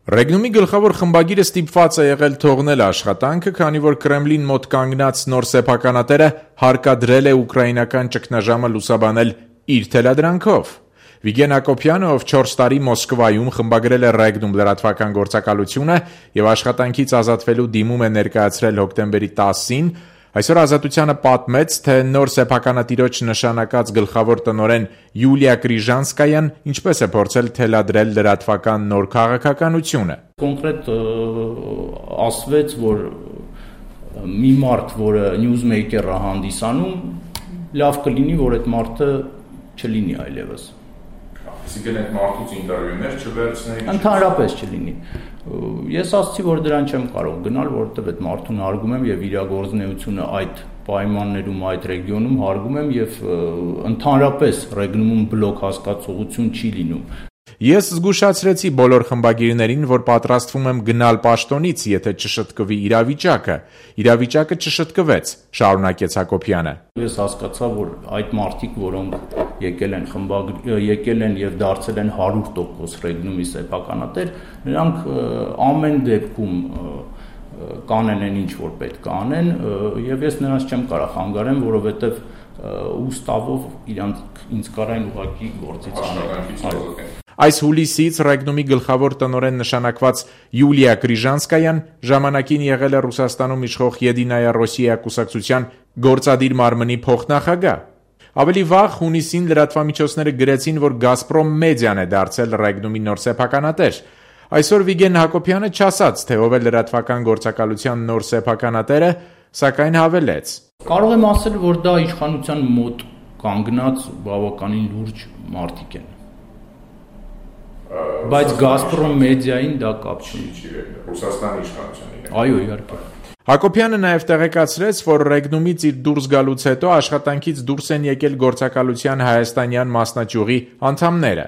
Ռեգնումի գլխավոր խմբագիրը ստիպված է եղել թողնել աշխատանքը, քանի որ Կրեմլին մոտ կանգնած նոր սեփականատերը հարկադրել է ուկրաինական ճգնաժամը լուսաբանել իր թելադրանքով։ Վիգեն Հակոբյանը, ով 4 տարի Մոսկվայում խմբագրել է Ռեգնում լրատվական գործակալությունը եւ աշխատանքից ազատվելու դիմում է ներկայացրել հոկտեմբերի 10-ին, այսօր Ազատությանը պատմեց, թե նոր սեփականատիրոջ նշանակած գլխավոր տնօրեն Յուլիա Կրիժանսկայան ինչպես է փորձել թելադրել լրատվական նոր քաղաքականությունը։ Կոնկրետ ասվեց, որ մի մարդ, որը նյուզմեյքերը հանդիսանում, լավ կլինի, որ այդ մարդը չլինի այլևս։ Այսինքն այդ մարդուց ինտերվյուներ չվերցնեի։ Ընդհանրապես չլինի։ Ես ասացի, որ դրան չեմ կարող գնալ, որովհետև այդ մարդուն հարգում եմ եւ իր գործունեությունը այդ պայմաններում, այդ ռեգիոնում հարգում եմ եւ ընդհանրապես Ռեգնում բլոկ հասկացողություն չի լինում։ Ես զգուշացրեցի բոլոր խմբագիրներին, որ պատրաստվում եմ գնալ պաշտոնից, եթե չշտկվի իրավիճակը։ Իրավիճակը չշտկվեց, շարունակեց Հակոբյանը։ Ես հասկացա, որ այդ մարդիկ, որոնք եկել են եւ դարձել են 100% Ռեգնումի սեփականատեր, նրանք ամեն դեպքում կանեն այն ինչ որ պետք է անեն, եւ ես նրանց չեմ կարող խանգարեմ, որովհետեւ ուստավով ինձ կարային ուղղակի գործից անել։ Այս հուլիսից Ռեգնումի գլխավոր տնօրեն նշանակված Յուլիա Կրիժանսկայան ժամանակին եղել է Ռուսաստանում իշխող Եդինայա Ռոսիա կուսակցության գործադիր մարմնի փոխնախագահ։ Ավելի վաղ հունիսին լրատվամիջոցները գրեցին, որ Գազպրոմ մեդիան է դարձել Ռեգնումի նոր սեփականատեր։ Այսօր Վիգեն Հակոբյանը չասաց, թե ով է լրատվական գործակալության նոր սեփականատերը, սակայն հավելեց. Կարող եմ ասել, որ դա իշխանության մոտ կանգնած բավականին լուրջ մարդիկ են։ Բայց Գազպրոմ մեդիային դա կապ չունի։ Ռուսաստանի իշխանությանին։ Այո, իհարկե։ Հակոբյանը նաև տեղեկացրեց, որ Ռեգնումից իր դուրս գալուց հետո աշխատանքից դուրս են եկել գործակալության հայաստանյան մասնաճյուղի անդամները։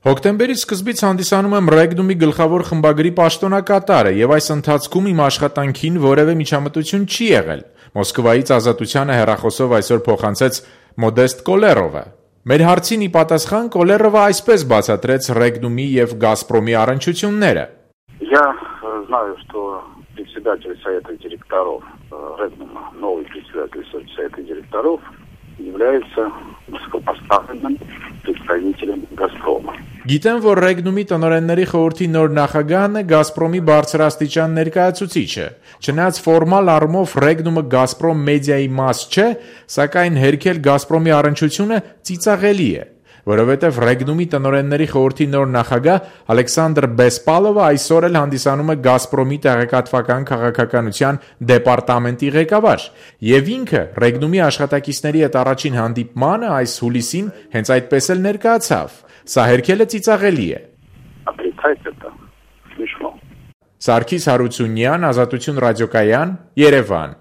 Հոկտեմբերի սկզբից հանդիսանում եմ Ռեգնումի գլխավոր խմբագրի պաշտոնակատարը եւ այս ընթացքում իմ աշխատանքին որևէ միջամտություն չի եղել։ Մոսկվայից Ազատությանը հեռախոսով այսօր փոխանցեց Մոդեստ Կոլերովը։ Մեր հարցին ի պատասխան Կոլերովը այսպես բացատրեց Ռեգնումի եւ Գազպրոմի առնչությունները։ Я знаю, что председатель совета директоров Регнума, новый председатель совета директоров, является высокопоставленным представителем Газпрома. Գիտեմ, որ Ռեգնումի տնօրենների խորհրդի նոր նախագահն է Գազպրոմի բարձրաստիճան ներկայացուցիչը։ Չնայած ֆորմալ առումով Ռեգնումը Գազպրոմ մեդիայի մաս չէ, սակայն հերքել Գազպրոմի առնչությունը ծիծաղելի է, որովհետև Ռեգնումի տնօրենների խորհրդի նոր նախագահ Ալեքսանդր Բեսպալովը այսօր էլ հանդիսանում է Գազպրոմի տեղեկատվական քաղաքականության դեպարտամենտի ղեկավար, եւ ինքը Ռեգնումի աշխատակիցների հետ առաջին հանդիպմանը այս հուլիսին հենց այդպես էլ ներկայացավ։ Սա հերքելը ծիծաղելի է։ Սարգիս Հարությունյան, Ազատություն ռադիոկայան, Երևան։